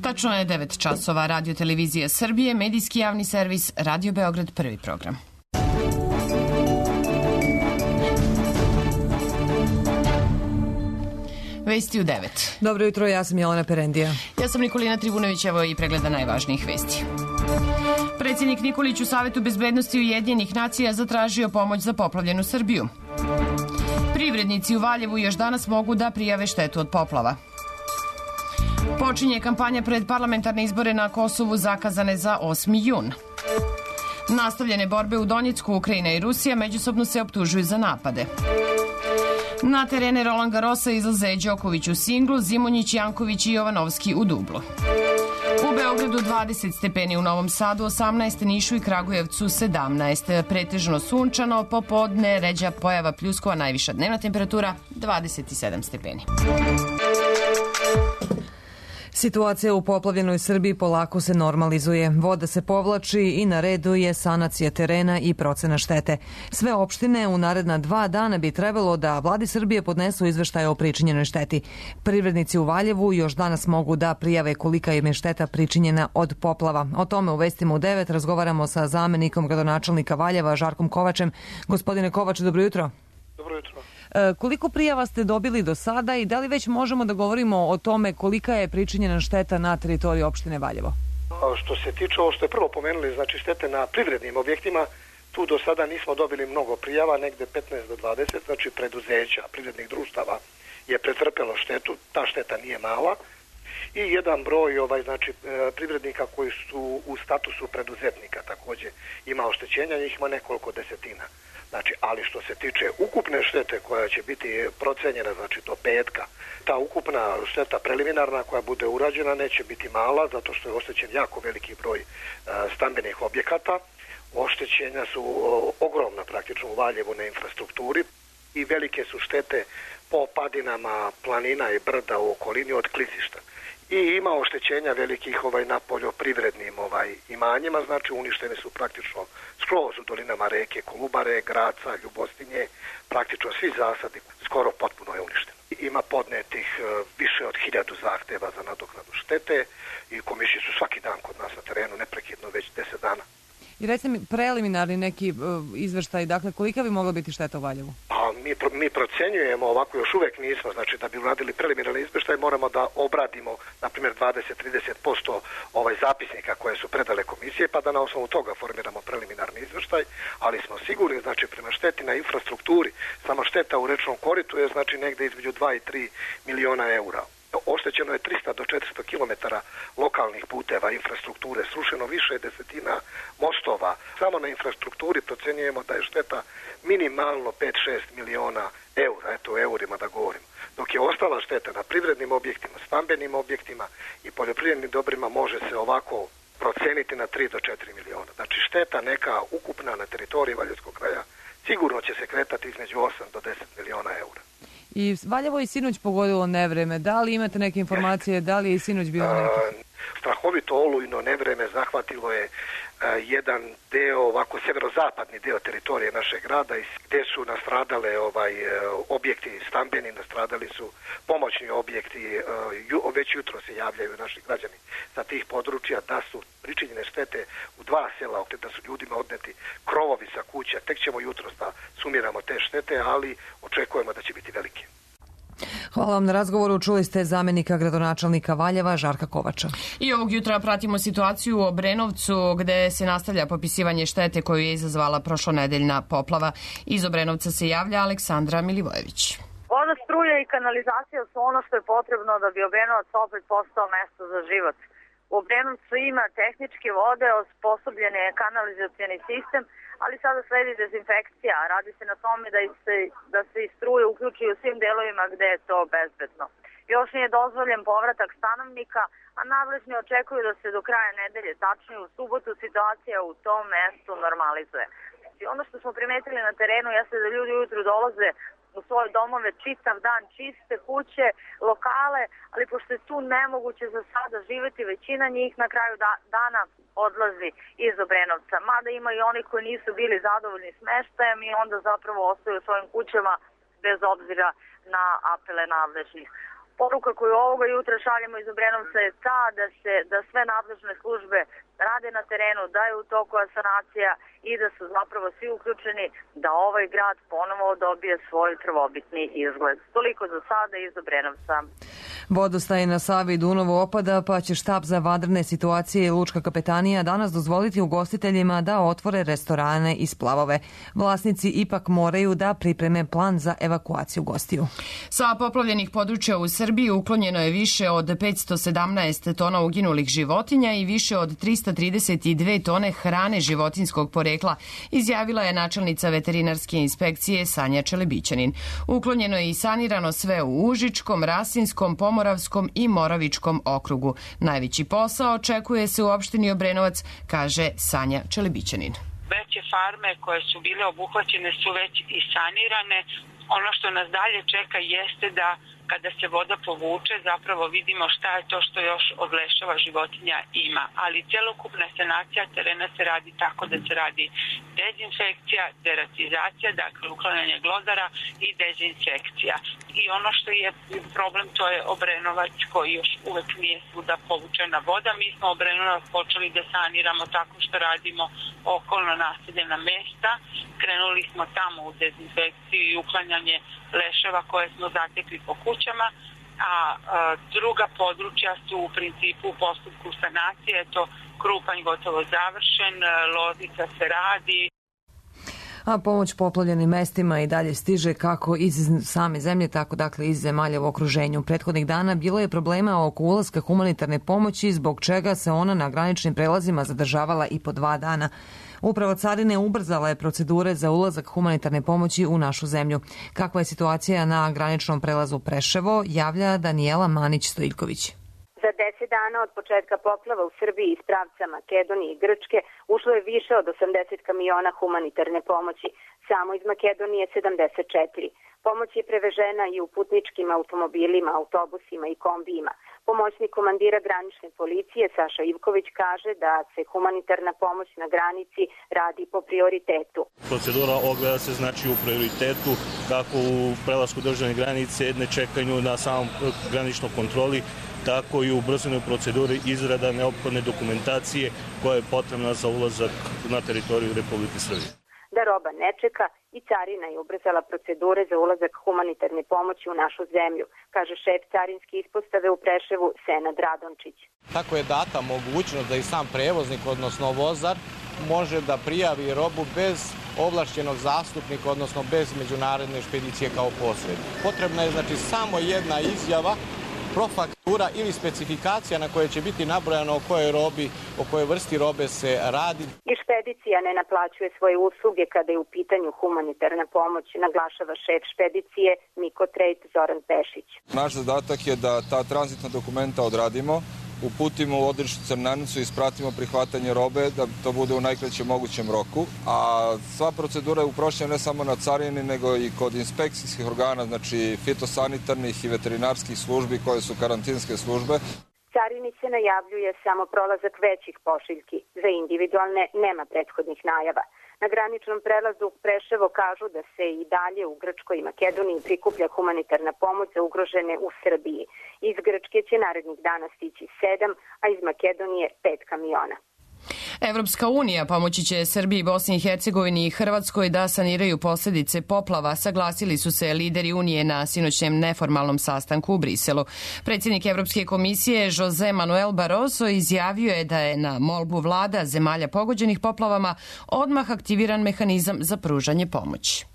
Tačno je 9 časova. Radio Televizija Srbije, medijski javni servis, Radio Beograd, prvi program. Vesti u 9. Dobro jutro, ja sam Jelena Perendija. Ja sam Nikolina Tribunović, evo i pregleda najvažnijih vesti. Predsjednik Nikolić u Savetu bezbednosti Ujedinjenih nacija zatražio pomoć za poplavljenu Srbiju. Privrednici u Valjevu još danas mogu da prijave štetu od poplava. Počinje kampanja pred parlamentarne izbore na Kosovu zakazane za 8. jun. Nastavljene borbe u Donjecku, Ukrajina i Rusija međusobno se optužuju za napade. Na terene Roland Garrosa izlaze Đoković u singlu, Zimonjić, Janković i Jovanovski u dublu. U Beogradu 20 stepeni, u Novom Sadu 18, Nišu i Kragujevcu 17. Pretežno sunčano, popodne ređa pojava pljuskova, najviša dnevna temperatura 27 stepeni. Situacija u poplavljenoj Srbiji polako se normalizuje. Voda se povlači i na redu je sanacija terena i procena štete. Sve opštine u naredna 2 dana bi trebalo da vladi Srbije podnesu izveštaje o pričinjenoj šteti. Privrednici u Valjevu još danas mogu da prijave kolika im je šteta pričinjena od poplava. O tome u vestima u 9 razgovaramo sa zamenikom gradonačelnika Valjeva, Žarkom Kovačem. Gospodine Kovač, dobro jutro. Dobro jutro. Koliko prijava ste dobili do sada i da li već možemo da govorimo o tome kolika je pričinjena šteta na teritoriji opštine Valjevo? Što se tiče ovo što je prvo pomenuli, znači štete na privrednim objektima, tu do sada nismo dobili mnogo prijava, negde 15 do 20, znači preduzeća, privrednih društava je pretrpelo štetu, ta šteta nije mala i jedan broj znači privrednika koji su u statusu preduzetnika takođe ima oštećenja, njih ima nekoliko desetina. Znači, ali što se tiče ukupne štete koja će biti procenjena, znači do petka, ta ukupna šteta preliminarna koja bude urađena neće biti mala, zato što je oštećen jako veliki broj stambenih objekata. Oštećenja su ogromna praktično u Valjevu na infrastrukturi i velike su štete po padinama planina i brda u okolini od klizišta. I ima oštećenja velikih na poljoprivrednim imanjima, znači uništene su praktično skroz u dolinama reke Kolubare, Graca, Ljubostinje, praktično svi zasadi, skoro potpuno je uništeno. Ima podnetih više od 1000 zahteva za nadoknadu štete i komisije su svaki dan kod nas na terenu, neprekidno već 10 dana. I recite mi preliminarni neki izveštaj, dakle kolika bi mogla biti šteta u Valjevu? Mi procenjujemo, ovako još uvek nismo, znači da bi uradili preliminarni izveštaj moramo da obradimo, na primjer 20-30% zapisnika koje su predale komisije, pa da na osnovu toga formiramo preliminarni izveštaj, ali smo sigurni, znači prema šteti na infrastrukturi, sama šteta u rečnom koritu je znači negde između 2 i 3 miliona eura. Oštećeno je 300 do 400 km lokalnih puteva, infrastrukture, srušeno više desetina mostova. Samo na infrastrukturi procenjujemo da je šteta minimalno 5-6 miliona eura, eto u eurima da govorim. Dok je ostala šteta na privrednim objektima, stambenim objektima i poljoprivrednim dobrima može se ovako proceniti na 3 do 4 miliona. Znači šteta neka ukupna na teritoriji Valjevskog kraja sigurno će se kretati između 8 do 10 miliona eura. I Valjevo je sinoć pogodilo nevreme. Da li imate neke informacije, da li je i sinoć bilo neki? Strahovito olujno nevreme zahvatilo je jedan deo, ovako severozapadni deo teritorije našeg grada gde su nastradale objekti stambeni, nastradali su pomoćni objekti, već jutro se javljaju naši građani sa tih područja da su pričinjene štete u 2 sela, da su ljudima odneti krovovi sa kuća, tek ćemo jutros da sumiramo te štete, ali očekujemo da će biti velike. Hvala vam na razgovoru. Čuli ste zamenika gradonačelnika Valjeva, Žarka Kovača. I ovog jutra pratimo situaciju u Obrenovcu gde se nastavlja popisivanje štete koju je izazvala prošlonedeljna poplava. Iz Obrenovca se javlja Aleksandra Milivojević. Voda, struja i kanalizacija su ono što je potrebno da bi Obrenovac opet postao mesto za život. U Obrenovcu ima tehničke vode, osposobljen je kanalizacioni sistem, ali sada sledi dezinfekcija. Radi se na tome da se i struje uključi u svim delovima gde je to bezbedno. Još nije dozvoljen povratak stanovnika, a nadležni očekuju da se do kraja nedelje, tačnije u subotu, situacija u tom mestu normalizuje. Ono što smo primetili na terenu jeste da ljudi ujutru dolaze u svoje domove čitav dan, čiste kuće, lokale, ali pošto je tu nemoguće za sada živeti, većina njih na kraju dana odlazi iz Obrenovca. Mada ima i oni koji nisu bili zadovoljni smeštajem i onda zapravo ostaju u svojim kućama bez obzira na apele nadležnih. Poruka koju ovoga jutra šaljemo iz Obrenovca je ta da sve nadležne službe rade na terenu, da je u toku sanacija i da su zapravo svi uključeni da ovaj grad ponovo dobije svoj prvobitni izgled. Toliko za sada iz Obrenovca. Vodostaj na Savi i Dunavu opada, pa će štab za vanredne situacije i Lučka kapetanija danas dozvoliti ugostiteljima da otvore restorane i splavove. Vlasnici ipak moraju da pripreme plan za evakuaciju gostiju. Sa poplavljenih područja u Srbiji uklonjeno je više od 517 tona uginulih životinja i više od 332 tone hrane životinjskog porekla, izjavila je načelnica veterinarske inspekcije Sanja Čelebićanin. Uklonjeno je i sanirano sve u Užičkom, Rasinskom, Pomoravskom i Moravičkom okrugu. Najveći posao očekuje se u opštini Obrenovac, kaže Sanja Čelebićanin. Veće farme koje su bile obuhvaćene su već i sanirane. Ono što nas dalje čeka jeste da kada se voda povuče zapravo vidimo šta je to što još od leševa životinja ima. Ali celokupna sanacija terena se radi tako da se radi dezinfekcija, deratizacija, dakle uklanjanje glodara i dezinsekcija. I ono što je problem to je Obrenovac koji još uvek nije svuda povučena voda. Mi smo Obrenovac počeli da saniramo tako što radimo okolno naseljena mesta. Krenuli smo tamo u dezinfekciju i uklanjanje leševa koje smo zatekli po kućama, a druga područja su u principu u postupku sanacije. Eto, Krupanj gotovo završen, Loznica se radi. A pomoć poplavljenim mestima i dalje stiže kako iz same zemlje, tako dakle iz zemalja u okruženju. Prethodnih dana bilo je problema oko ulaska humanitarne pomoći, zbog čega se ona na graničnim prelazima zadržavala i po 2 dana. Upravo carine ubrzala je procedure za ulazak humanitarne pomoći u našu zemlju. Kakva je situacija na graničnom prelazu Preševo, javlja Danijela Manić-Stojiljković. Za 10 dana od početka poplava u Srbiji iz pravca Makedonije i Grčke ušlo je više od 80 kamiona humanitarne pomoći, samo iz Makedonije 74. Pomoć je prevežena i u putničkim automobilima, autobusima i kombijima. Pomoćnik komandira granične policije Saša Ivković kaže da se humanitarna pomoć na granici radi po prioritetu. Procedura ogleda se znači u prioritetu, kako u prelasku državne granice, ne čekanju na samom graničnoj kontroli, tako i u ubrzanoj proceduri izrada neophodne dokumentacije koja je potrebna za ulazak na teritoriju Republike Srbije. Da roba ne čeka i carina je ubrzala procedure za ulazak humanitarne pomoći u našu zemlju, kaže šef carinske ispostave u Preševu Senad Radončić. Tako je data mogućnost da i sam prevoznik, odnosno vozar, može da prijavi robu bez ovlašćenog zastupnika, odnosno bez međunarodne špedicije kao posrednik. Potrebna je znači samo jedna izjava, profaktura ili specifikacija na kojoj će biti nabrojano o kojoj robi, o kojoj vrsti robe se radi. I špedicija ne naplaćuje svoje usluge kada je u pitanju humanitarna pomoć, naglašava šef špedicije Miko Trejt Zoran Pešić. Naš zadatak je da ta tranzitna dokumenta odradimo, uputimo u odredištu Crnanicu i ispratimo prihvatanje robe da to bude u najkraćem mogućem roku. A sva procedura je uprošćena ne samo na carini, nego i kod inspekcijskih organa, znači fitosanitarnih i veterinarskih službi koje su karantinske službe. Carini se najavljuje samo prolazak većih pošiljki. Za individualne nema prethodnih najava. Na graničnom prelazu Preševo kažu da se i dalje u Grčkoj i Makedoniji prikuplja humanitarna pomoć za ugrožene u Srbiji. Iz Grčke će narednih dana stići 7, a iz Makedonije 5 kamiona. Evropska unija pomoći će Srbiji, Bosni i Hercegovini i Hrvatskoj da saniraju posljedice poplava, saglasili su se lideri Unije na sinoćnjem neformalnom sastanku u Briselu. Predsjednik Evropske komisije Jose Manuel Barroso izjavio je da je na molbu vlada zemalja pogođenih poplavama odmah aktiviran mehanizam za pružanje pomoći.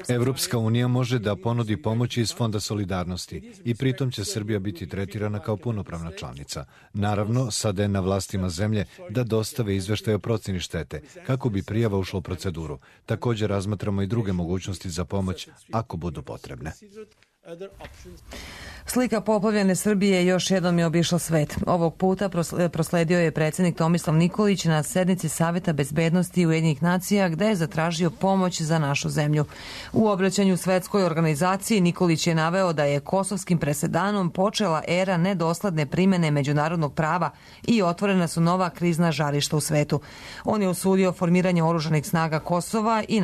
Evropska unija može da ponudi pomoć iz Fonda solidarnosti i pritom će Srbija biti tretirana kao punopravna članica. Naravno, sada je na vlastima zemlje da dostave izveštaj o procjeni štete, kako bi prijava ušla u proceduru. Također razmatramo i druge mogućnosti za pomoć ako budu potrebne. Slika poplavljene Srbije još jednom je obišla svet. Ovog puta prosledio je predsjednik Tomislav Nikolić na sednici Saveta bezbednosti Ujedinjenih nacija gde je zatražio pomoć za našu zemlju. U obraćanju svetskoj organizaciji Nikolić je naveo da je kosovskim presedanom počela era nedosledne primene međunarodnog prava i otvorena su nova krizna žarišta u svetu. On je osudio formiranje oružanih snaga Kosova i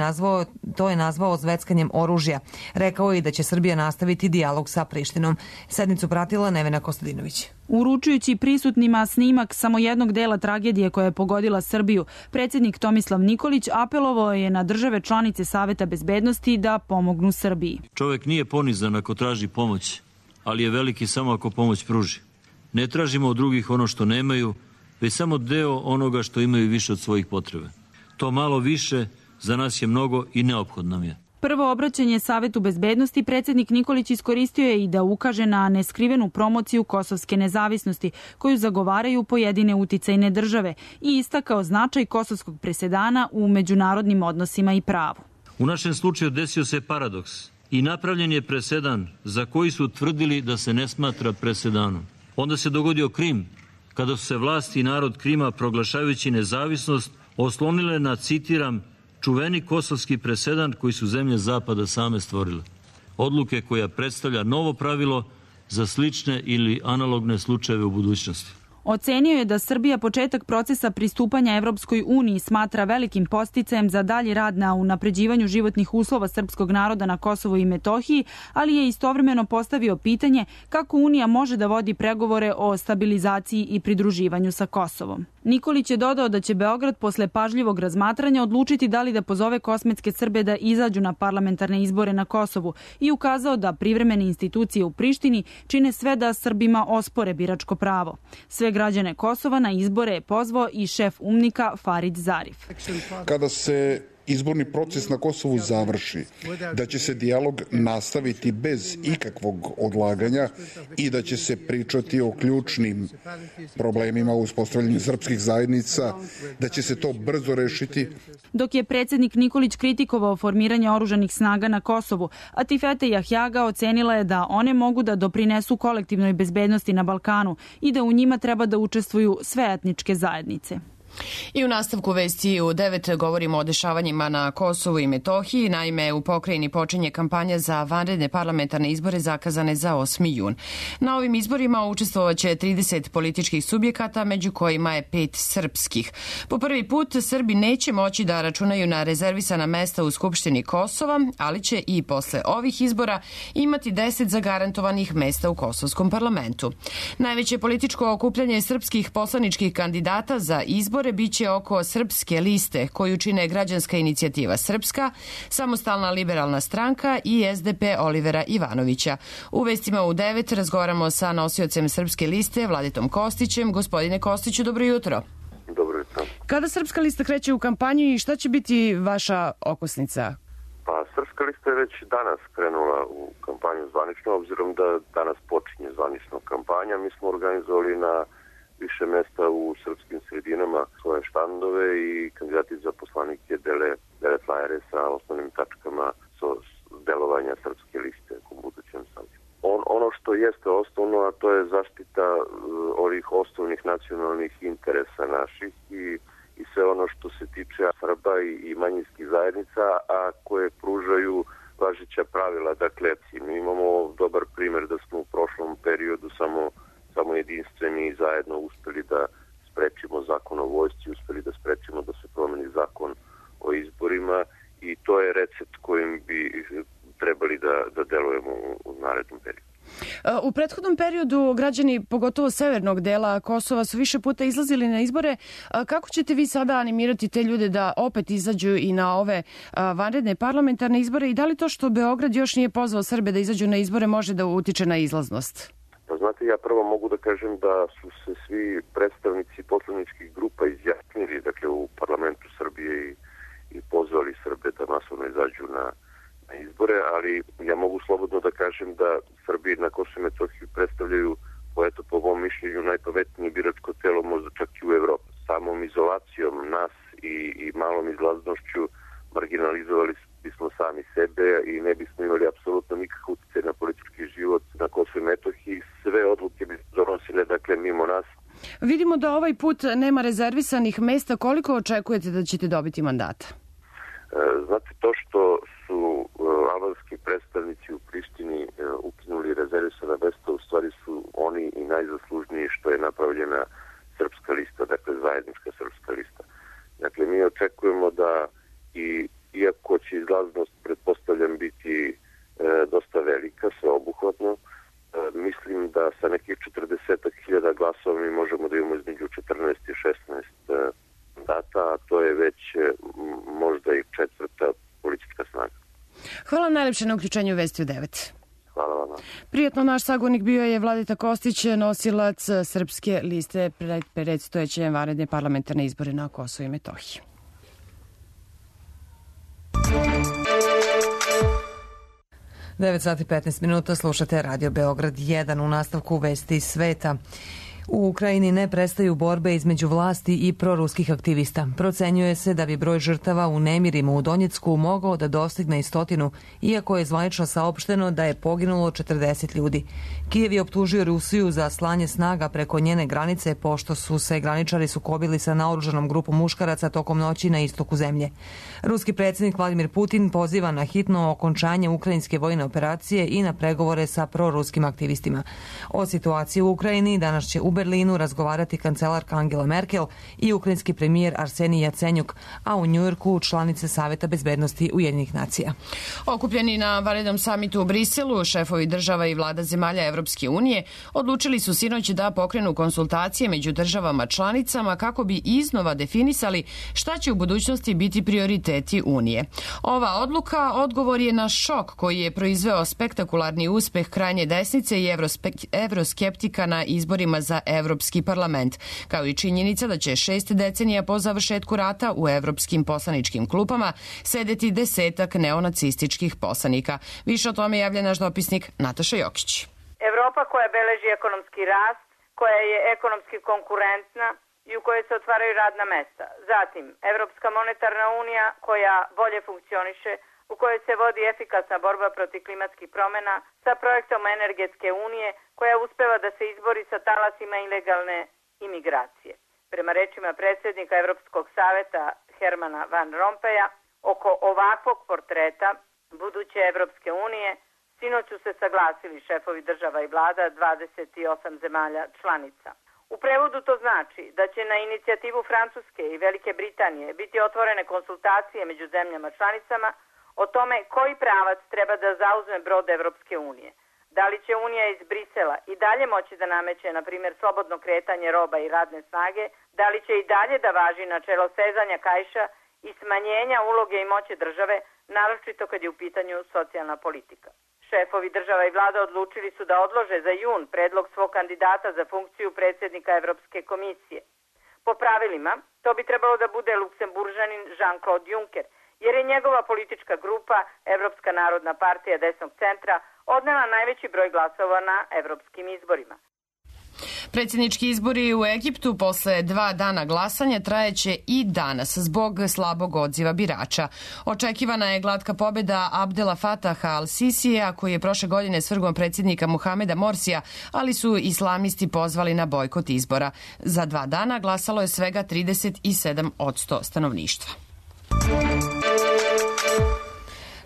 to je nazvao zveckanjem oružja. Rekao je i da će Srbija nastaviti dijalog sa Prištinom. Sednicu pratila Nevena Kostadinović. Uručujući prisutnima snimak samo jednog dela tragedije koja je pogodila Srbiju, predsjednik Tomislav Nikolić apelovao je na države članice Saveta bezbednosti da pomognu Srbiji. Čovjek nije ponizan ako traži pomoć, ali je veliki samo ako pomoć pruži. Ne tražimo od drugih ono što nemaju, već samo deo onoga što imaju više od svojih potrebe. To malo više za nas je mnogo i neophodno nam je. Prvo obraćanje Savetu bezbednosti predsjednik Nikolić iskoristio je i da ukaže na neskrivenu promociju kosovske nezavisnosti koju zagovaraju pojedine uticajne države i istakao značaj kosovskog presedana u međunarodnim odnosima i pravu. U našem slučaju desio se paradoks i napravljen je presedan za koji su tvrdili da se ne smatra presedanom. Onda se dogodio Krim, kada su se vlasti i narod Krima proglašavajući nezavisnost oslonile na, citiram, čuveni kosovski presedan koji su zemlje Zapada same stvorile. Odluke koja predstavlja novo pravilo za slične ili analogne slučajeve u budućnosti. Ocenio je da Srbija početak procesa pristupanja Evropskoj uniji smatra velikim podsticajem za dalji rad na unapređivanju životnih uslova srpskog naroda na Kosovu i Metohiji, ali je istovremeno postavio pitanje kako Unija može da vodi pregovore o stabilizaciji i pridruživanju sa Kosovom. Nikolić je dodao da će Beograd posle pažljivog razmatranja odlučiti da li da pozove kosmetske Srbe da izađu na parlamentarne izbore na Kosovu i ukazao da privremene institucije u Prištini čine sve da Srbima ospore biračko pravo. Sve građane Kosova na izbore je pozvao i šef UMNIK-a Farid Zarif. Kada se izborni proces na Kosovu završi, da će se dijalog nastaviti bez ikakvog odlaganja i da će se pričati o ključnim problemima u uspostavljanju srpskih zajednica, da će se to brzo rešiti. Dok je predsjednik Nikolić kritikovao formiranje oružanih snaga na Kosovu, Atifete Jahjaga ocenila je da one mogu da doprinesu kolektivnoj bezbednosti na Balkanu i da u njima treba da učestvuju sve etničke zajednice. I u nastavku vesti u 9 govorimo o dešavanjima na Kosovu i Metohiji. Naime, u pokrajini počinje kampanja za vanredne parlamentarne izbore zakazane za 8. jun. Na ovim izborima učestvovaće 30 političkih subjekata, među kojima je 5 srpskih. Po prvi put Srbi neće moći da računaju na rezervisana mesta u Skupštini Kosova, ali će i posle ovih izbora imati 10 zagarantovanih mesta u Kosovskom parlamentu. Najveće političko okupljanje srpskih poslaničkih kandidata za izbor biće oko Srpske liste, koju čine Građanska inicijativa Srpska, Samostalna liberalna stranka i SDP Olivera Ivanovića. U vestima u 9 razgovaramo sa nosiocem Srpske liste, Vladitom Kostićem. Gospodine Kostiću, dobro jutro. Dobro jutro. Kada Srpska lista kreće u kampanju i šta će biti vaša okosnica? Pa, Srpska lista je već danas krenula u kampanju zvanično, obzirom da danas počinje zvanično kampanja. Mi smo organizovali na više mesta u srpskim sredinama svoje štandove i kandidati za poslanike dele flajere sa osnovnim tačkama delovanja Srpske liste u budućem sazivu. Ono što jeste osnovno, a to je zaštita ovih osnovnih nacionalnih interesa naših i sve ono što se tiče Srba i manjinskih zajednica, a koje pružaju važeća pravila. Dakle, mi imamo dobar primjer da smo u prošlom periodu samo jedinstveni i zajedno uspeli da sprečimo zakon o vojsci, uspeli da sprečimo da se promeni zakon o izborima i to je recept kojim bi trebali da delujemo u narednom periodu. U prethodnom periodu građani, pogotovo severnog dela Kosova, su više puta izlazili na izbore. Kako ćete vi sada animirati te ljude da opet izađu i na ove vanredne parlamentarne izbore i da li to što Beograd još nije pozvao Srbe da izađu na izbore može da utiče na izlaznost? Pa znate, ja prvo mogu da kažem da su se svi predstavnici poslaničkih grupa izjasnili, dakle, u parlamentu Srbije i pozvali Srbe da masovno izađu na izbore, ali ja mogu slobodno da kažem da Srbi na Kosovu i Metohiji predstavljaju, po mom mišljenju, najpametnije biračko telo, možda čak i u Evropi. Samom izolacijom nas i malom izlaznošću marginalizovali bismo sami sebe i ne bismo imali apsolutno nikakav utjecaj na politički život na Kosovu i Metohiji. Vidimo da ovaj put nema rezervisanih mesta. Koliko očekujete da ćete dobiti mandata? Znate, to što su albanski predstavnici u Prištini ukinuli rezervisana mesta, u stvari su oni i najzaslužniji što je napravljena srpska lista, dakle zajednička srpska lista. Dakle, mi očekujemo da iako će izlaznost, pretpostavljam, biti dosta velika, sveobuhvatno, mislim da sa nekih 40.000 glasova mi možemo da imamo između 14 i 16 mandata, a to je već možda i četvrta politička snaga. Hvala najlepše na uključenju Vesti u 9. Hvala vam. Prijetno, naš sagovornik bio je Vladeta Kostić, nosilac srpske liste pred predstojeće vanredne parlamentarne izbore na Kosovu i Metohiji. Devet sati 15 minuta, slušate Radio Beograd 1 u nastavku Vesti iz sveta. U Ukrajini ne prestaju borbe između vlasti i proruskih aktivista. Procenjuje se da bi broj žrtava u nemirima u Donjecku mogao da dostigne i 100, iako je zvanično saopšteno da je poginulo 40 ljudi. Kijev je optužio Rusiju za slanje snaga preko njene granice, pošto su se graničari sukobili sa naoružanom grupom muškaraca tokom noći na istoku zemlje. Ruski predsjednik Vladimir Putin poziva na hitno okončanje ukrajinske vojne operacije i na pregovore sa proruskim aktivistima. O situaciji u Ukrajini danas će u Berlinu razgovarati kancelarka Angela Merkel i ukrajinski premijer Arsenij Jacenjuk, a u Njujorku članice Saveta bezbednosti Ujedinjenih nacija. Okupljeni na vanrednom samitu u Briselu, šefovi država i vlada zemalja Evropske unije odlučili su sinoć da pokrenu konsultacije među državama članicama kako bi iznova definisali šta će u budućnosti biti prioriteti Unije. Ova odluka odgovor je na šok koji je proizveo spektakularni uspeh krajnje desnice i evroskeptika na izborima za Evropski parlament, kao i činjenica da će 6 decenija po završetku rata u evropskim poslaničkim klupama sedeti 10 neonacističkih poslanika. Više o tome javlja naš dopisnik Nataša Jokić. Evropa koja beleži ekonomski rast, koja je ekonomski konkurentna i u kojoj se otvaraju radna mesta. Zatim, Evropska monetarna unija koja bolje funkcioniše, u kojoj se vodi efikasna borba protiv klimatskih promjena sa projektom energetske unije koja uspeva da se izbori sa talasima ilegalne imigracije. Prema rečima predsjednika Evropskog saveta Hermana Van Rompuya, oko ovakvog portreta buduće Evropske unije sinoć su se saglasili šefovi država i vlada 28 zemalja članica. U prevodu to znači da će na inicijativu Francuske i Velike Britanije biti otvorene konsultacije među zemljama članicama o tome koji pravac treba da zauzme brod Evropske unije. Da li će Unija iz Brisela i dalje moći da nameće, na primjer, slobodno kretanje roba i radne snage, da li će i dalje da važi načelo sezanja kaiša i smanjenja uloge i moći države, naročito kad je u pitanju socijalna politika. Šefovi država i vlada odlučili su da odlože za jun predlog svog kandidata za funkciju predsjednika Evropske komisije. Po pravilima, to bi trebalo da bude Luksemburžanin Jean-Claude Juncker, jer je njegova politička grupa, Evropska narodna partija desnog centra, odnela najveći broj glasova na evropskim izborima. Predsjednički izbori u Egiptu posle 2 dana glasanja trajeće i danas zbog slabog odziva birača. Očekivana je glatka pobjeda Abdela Fataha al-Sisija, koji je prošle godine svrgnuo predsjednika Muhameda Morsija, ali su islamisti pozvali na bojkot izbora. Za 2 dana glasalo je svega 37% stanovništva.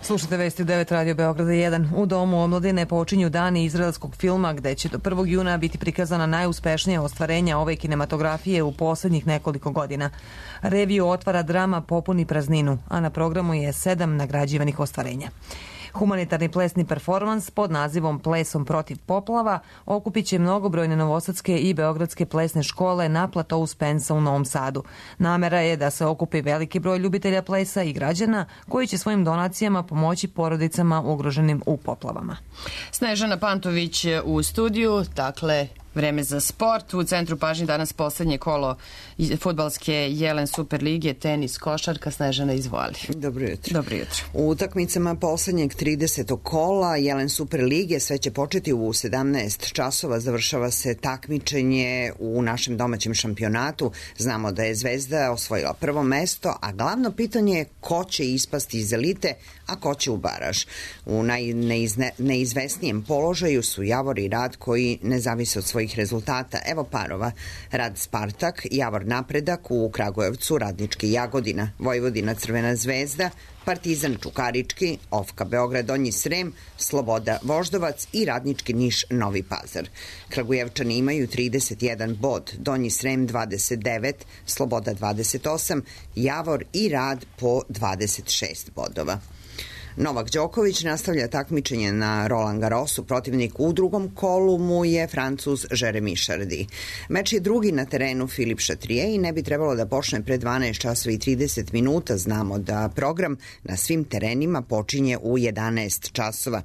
Slušate Vesti u 9 Radio Beograda 1. U Domu omladine počinju dani izraelskog filma gde će do 1. juna biti prikazana najuspešnija ostvarenja ove kinematografije u posljednjih nekoliko godina. Reviju otvara drama Popuni prazninu, a na programu je 7 nagrađivanih ostvarenja. Humanitarni plesni performans pod nazivom Plesom protiv poplava okupit će mnogobrojne novosadske i beogradske plesne škole na platou Spensa u Novom Sadu. Namera je da se okupi veliki broj ljubitelja plesa i građana koji će svojim donacijama pomoći porodicama ugroženim u poplavama. Snežana Pantović u studiju, dakle vreme za sport. U centru pažnje danas posljednje kolo fudbalske Jelen Super lige, tenis, košarka. Snežana, izvoli. Dobro jutro. Dobro jutro. U utakmicama poslednjeg 30. kola Jelen Super lige sve će početi u 17 časova. Završava se takmičenje u našem domaćem šampionatu. Znamo da je Zvezda osvojila prvo mesto, a glavno pitanje je ko će ispasti iz elite, a ko će u baraž. U najneizvesnijem položaju su Javor i Rad koji ne zavise od svojih svojih rezultata. Evo parova. Rad Spartak, Javor Napredak, u Kragujevcu Radnički Jagodina, Vojvodina Crvena zvezda, Partizan Čukarički, Ofka Beograd Donji Srem, Sloboda Voždovac i Radnički Niš Novi Pazar. Kragujevčani imaju 31 bod, Donji Srem 29, Sloboda 28, Javor i Rad po 26 bodova. Novak Đoković nastavlja takmičenje na Roland Garrosu, protivnik u drugom kolu mu je Francuz Jeremy Chardy. Meč je drugi na terenu Filip Chatrier i ne bi trebalo da počne pre 12 časova i 30 minuta. Znamo da program na svim terenima počinje u 11 časova.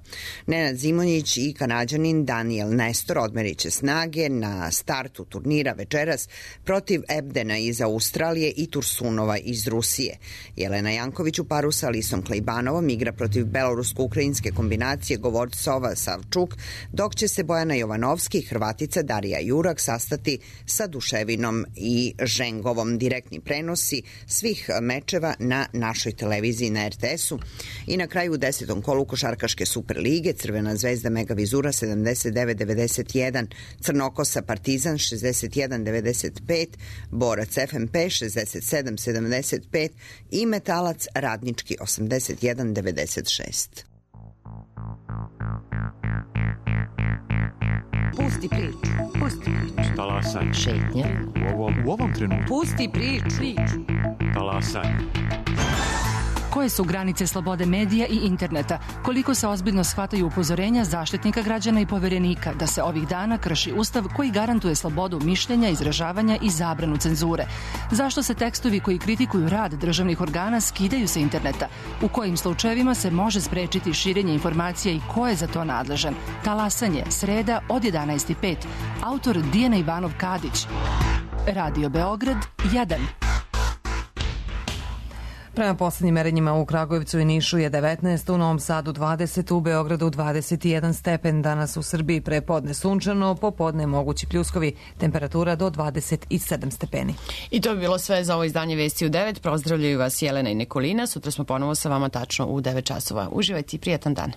Nenad Zimonjić i Kanađanin Daniel Nestor odmerit će snage na startu turnira večeras protiv Ebdena iz Australije i Tursunova iz Rusije. Jelena Janković u paru sa Alisom Klejbanovom igra protiv belorusko-ukrajinske kombinacije Govorcova Savčuk, dok će se Bojana Jovanovski i Hrvatica Darija Jurak sastati sa Duševinom i Žengovom. Direktni prenosi svih mečeva na našoj televiziji na RTS-u. I na kraju u 10. kolu košarkaške Superlige Crvena zvezda Mega Vizura 79-91, Crnokosa Partizan 61-95, Borac FMP 67-75 i Metalac Radnički 81-96. Pusti priču. Pusti priču. Talasaj. Šetnja. U ovom trenutku. Pusti priču. Talasaj. Koje su granice slobode medija i interneta? Koliko se ozbiljno shvataju upozorenja Zaštitnika građana i Poverenika da se ovih dana krši Ustav koji garantuje slobodu mišljenja, izražavanja i zabranu cenzure? Zašto se tekstovi koji kritikuju rad državnih organa skidaju sa interneta? U kojim slučajevima se može sprečiti širenje informacija i ko je za to nadležan? Talasanje, sreda od 11:05. Autor Dijana Ivanov Kadić. Radio Beograd 1. Prema poslednjim merenjima u Kragujevcu i Nišu je 19, u Novom Sadu 20, u Beogradu 21 stepen. Danas u Srbiji prepodne sunčano, popodne mogući pljuskovi, temperatura do 27 stepeni. I to bi bilo sve za ovo izdanje Vesti u 9. Pozdravljaju vas Jelena i Nikolina. Sutra smo ponovo sa vama tačno u 9 časova. Uživajte i prijatan dan.